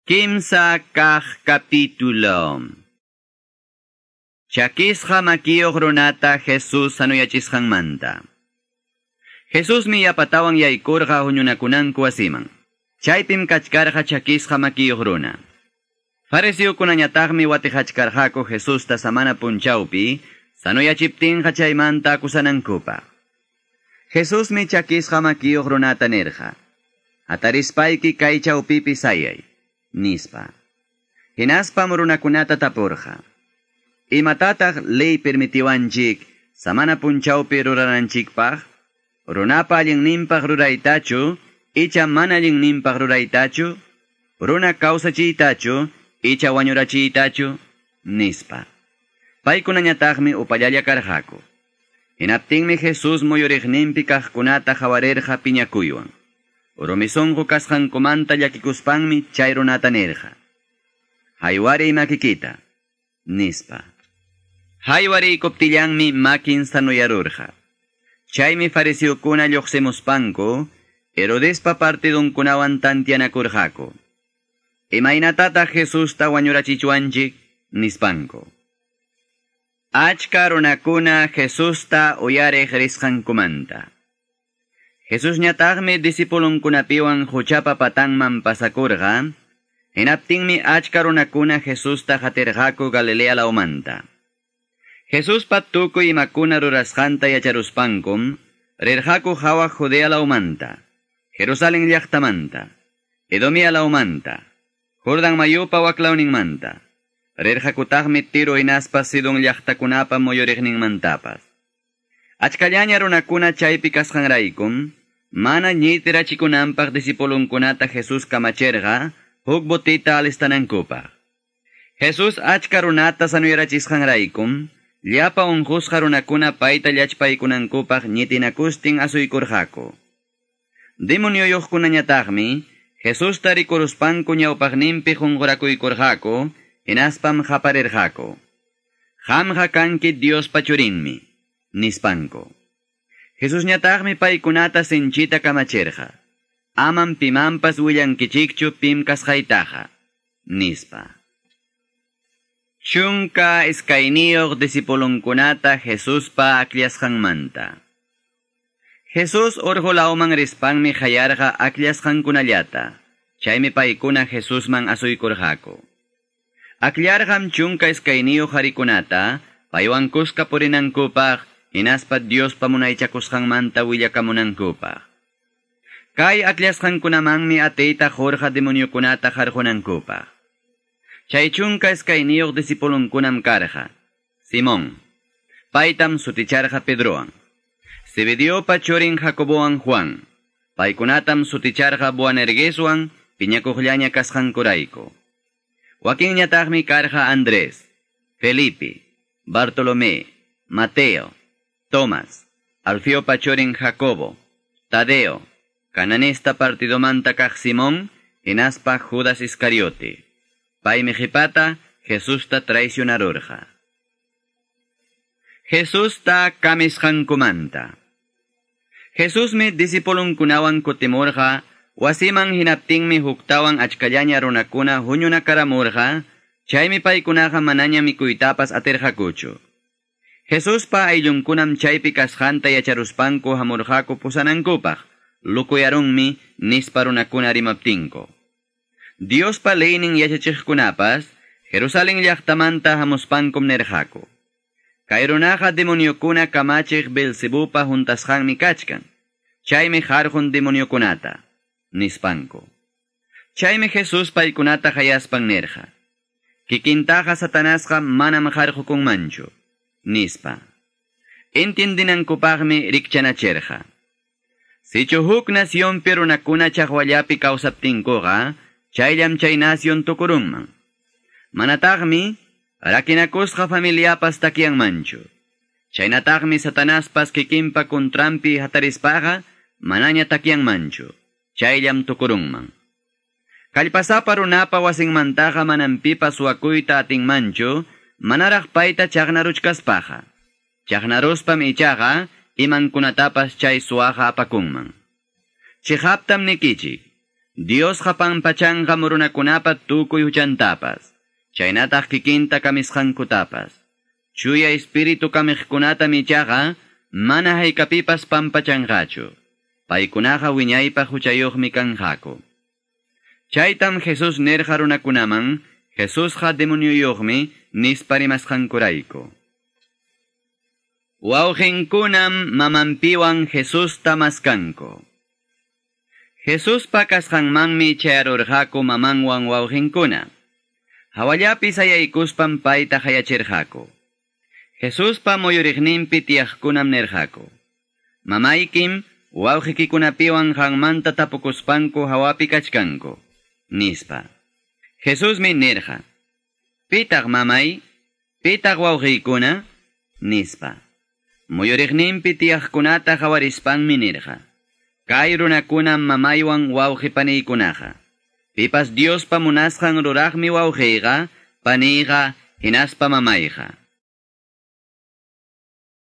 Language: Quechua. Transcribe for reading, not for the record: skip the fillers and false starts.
Kimsa kaq capítulo. Chakisqa makiyuq runata Jesús sanuyachisqanmanta. Jesusmi yapatawan yaykurqa huñunakunanku wasiman. Chaypim kachkarqa chakisqa makiyuq runa. Fariseokunañataqmi watihachkarqaku Jesusta samana punchawpi sanuyachiptinqa chaymanta akusanankupaq. Jesusmi chakisqa makiyuq runata nirqa: "Hatarispayki kay chawpipi sayay", nispa. Hinaspam runakunata tapurqa: "Imatataq ley permitiwanchik samana punchawpi rurananchikpaq? Runapa allinninpaq ruraytachu, icha mana allinninpaq ruraytachu? Runa kawsachiytachu, icha wañurachiytachu?" nispa. Paykunañataqmi upallalla karqaku. Hinaptinmi Jesús muyuriqninpi kaqkunata qawarirqa piñakuywan. Rumi sunqu kasqankumanta llakikuspanmi chay runata nirqa: "Haywariy makikita", nispa. Haywariykuptillanmi makin sanuyarurqa. Chaymi fariseokuna lluqsimuspanku Herodespa partidunkunawan tantianakurqaku: "Imaynatataq Jesusta wañurachichwanchik?" nispanku. Achka runakuna Jesusta uyariq risqankumanta. Jesusñataqmi discipulunkunapiwan huchapa patanman pasakurqa. Hinaptinmi achka runakuna Jesusta qatirqaku Galilea lawmanta. Jesuspa tukuy imakuna rurasqanta yacharuspankum rirqaku hawa Judea lawmanta, Jerusalén llaqtamanta, Edomia lawmanta, Jordan mayupa waklawninmanta. Rirqakutaqmi Tiro hinaspa Sidon llaqtakunapa muyuriqninmantapas. Achkallaña runakuna chaypi kasqanraykum mana ñitirachikunanpaq discipulunkunata Jesús kamachirqa huk botita alistanankupaq. Jesús achka runata sanuyarachisqanraykum llapa unqusqa runakuna payta llachpaykunankupaq ñitinakustin asuykurqaku. Demonioyuqkunañataqmi Jesusta rikuruspanku ñawpaqninpi qunqurakuykurqaku, hinaspam qaparirqaku: "Qamqa kanki Diospa churinmi", nispanku. Jesusñataqmi paykunata sinchita kamachirqa: "Amam pimanpas willankichikchu pim kasqaytaqa", nispa. 12 discipulunkunata Jesuspa akllashqanmanta. Jesús urqu lawman rispanmi qayarqa akllashqankunallata. Chaymi paykuna Jesusman asuykurqaku. Akllarqam 12 qarikunata paywan kuska purinankupaq, hinaspa Diospa munaychakusqanmanta willakamunankupaq. Kay akllashqankunamanmi atiyta qurqa demoniokunata qarqunankupaq. Chay 12 discipulunkunam karqa: Simón, paytam suticharqa Pedrowan, Zebediopa churin Jacobowan Juan, paykunatam suticharqa Boanergeswan piñakuqllaña kasqankurayku. Wakinñataqmi karqa Andrés, Felipe, Bartolomé, Mateo, Tomás, Alfeopa churin Jacobo, Tadeo, cananista partidomanta kaq Simón, hinaspa Judas Iscariote. Paymi qhipata Jesusta traicionarurqa. Jesusta kamisqankumanta. Jesusmi discipulunkunawan kutimurqa wasiman. Hinaptinmi huktawan achkallaña runakuna huñunakaramurqa, chaymi paykunaqa manaña mikuytapas atirqakuchu. Jesuspa ayllunkunam chaypi kasqanta yacharuspanku hamurqaku pusanankupaq, "Lukuyarunmi", nispa runakuna rimaptinku. Diospa leynin yachachiqkunapas Jerusalén llaqtamanta hamuspankum nirqaku: "Kay runaqa demoniokuna kamachiq Beelzebupa juntasqanmi kachkan, chaymi qarqun demoniokunata", nispanku. Chaymi Jesús paykunata qayaspan nirqa: "Kikintaqa Satanasqa manam qarqukunmanchu", nispa. Entiendinankupaqmi rikchanachirqa: Sichu huk nacionpi runakuna chaqwallapi kawsaptinkuqa, chayllam chay nación tukurunman. Manataqmi rakinakusqa familiapas takyanmanchu. Chaynataqmi Satanaspas kikinpa kuntranpi hatarispaqa manaña takyanmanchu, chayllam tukurunman. Kallpasapa runapa wasinmantaqa manam pipas suwakuyta atinmanchu, manaraq payta chaqnaruchkaspaqa. Chaqnaruspam ichaqa imankunatapas chay suwaqa apakunman. Chiqaptam nikichik: Diosqa pampachanqam runakunapa tukuy huchantapas, chaynataq kikinta kamisqankutapas. Chuya espíritu kamiqkunatam ichaqa mana haykapipas pampachanqachu. Paykunaqa wiñaypaq huchayuqmi kanqaku. Chaytam Jesús nirqa runakunaman, Jesusqa demonioyuqmi nispa rimasqankurayku. Wawqinkunam mamanpiwan Jesusta maskanku. Jesuspa kasqanmanmi chayarurqaku mamanwan wawqinkuna. Hawallapi sayaykuspan payta hayachirqaku. Jesuspa muyuriqninpi tiyaqkunam nirqaku. Mamaykim wawqikikunapiwan qanmanta tapukuspanku hawapi kachkanku, nispa. Jesusmi nirqa. Pitaq mamay, pitaq wawqiykuna, nispa. Muyuriqninpi tiyaqkunata hawarispanmi nirqa. Kay runakunam mamaywan wawqi paniykunaqa. Pipas Diospa munasqan ruraqmi wawqiyqa, paniyqa, hinaspa mamayqa.